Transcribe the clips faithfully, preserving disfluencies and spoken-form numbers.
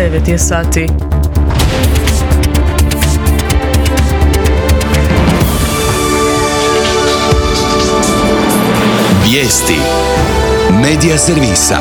devet je sati. Vijesti Medija servisa.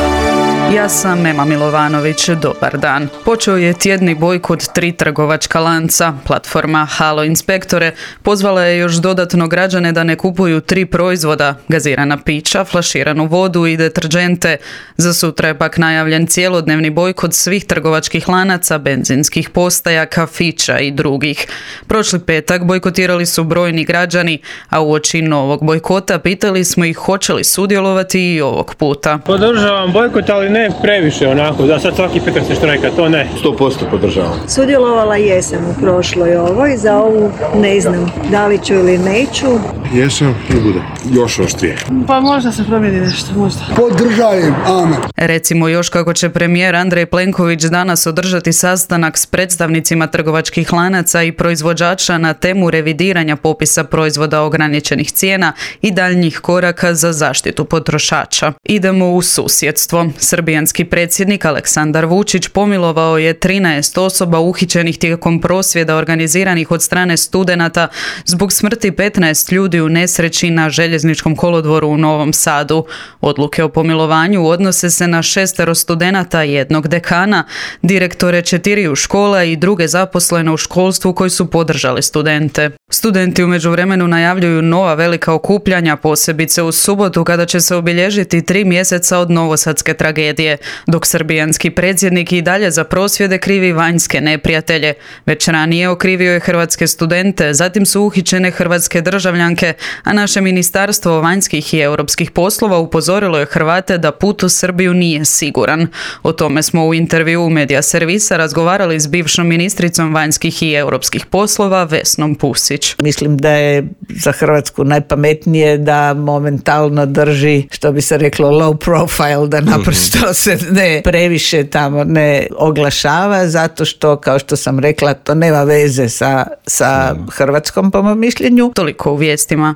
Ja sam Ema Milovanović, dobar dan. Počeo je tjedni bojkot tri trgovačka lanca. Platforma Halo inspektore pozvala je još dodatno građane da ne kupuju tri proizvoda, gazirana pića, flaširanu vodu i deterdžente. Za sutra je pak najavljen cjelodnevni bojkot svih trgovačkih lanaca, benzinskih postaja, kafića i drugih. Prošli petak bojkotirali su brojni građani, a uoči novog bojkota pitali smo ih hoće li sudjelovati i ovog puta. Podržavam bojkot, ali ne previše onako, da sad svaki petak se štrajka, to ne. sto posto podržavam. Sudjelovala jesam u prošloj ovoj, za ovu ne znam da li ću ili neću. Jesam i bude. Još oštrije. Pa možda se promijeni nešto, možda. Podržajem, amen. Recimo još kako će premijer Andrej Plenković danas održati sastanak s predstavnicima trgovačkih lanaca i proizvođača na temu revidiranja popisa proizvoda ograničenih cijena i daljnjih koraka za zaštitu potrošača. Idemo u susjedstvo. Srbijanski predsjednik Aleksandar Vučić pomilovao je trinaest osoba uhićenih tijekom prosvjeda organiziranih od strane studenata zbog smrti petnaest ljudi u nesreći na željezničkom kolodvoru u Novom Sadu. Odluke o pomilovanju odnose se na šestero studenata, jednog dekana, direktore četiriju škola i druge zaposlene u školstvu koji su podržali studente. Studenti u međuvremenu najavljuju nova velika okupljanja, posebice u subotu kada će se obilježiti tri mjeseca od novosadske tragedije, dok srbijanski predsjednik i dalje za prosvjede krivi vanjske neprijatelje. Već ranije okrivio je hrvatske studente, zatim su uhićene hrvatske državljanke, a naše ministarstvo vanjskih i europskih poslova upozorilo je Hrvate da put u Srbiju nije siguran. O tome smo u intervjuu Medija servisa razgovarali s bivšom ministricom vanjskih i europskih poslova Vesnom Pusić. Mislim da je za Hrvatsku najpametnije da momentalno drži, što bi se reklo, low profile, da naprosto se ne previše tamo ne oglašava, zato što, kao što sam rekla, to nema veze sa, sa Hrvatskom, po mom mišljenju. Toliko u vijestima.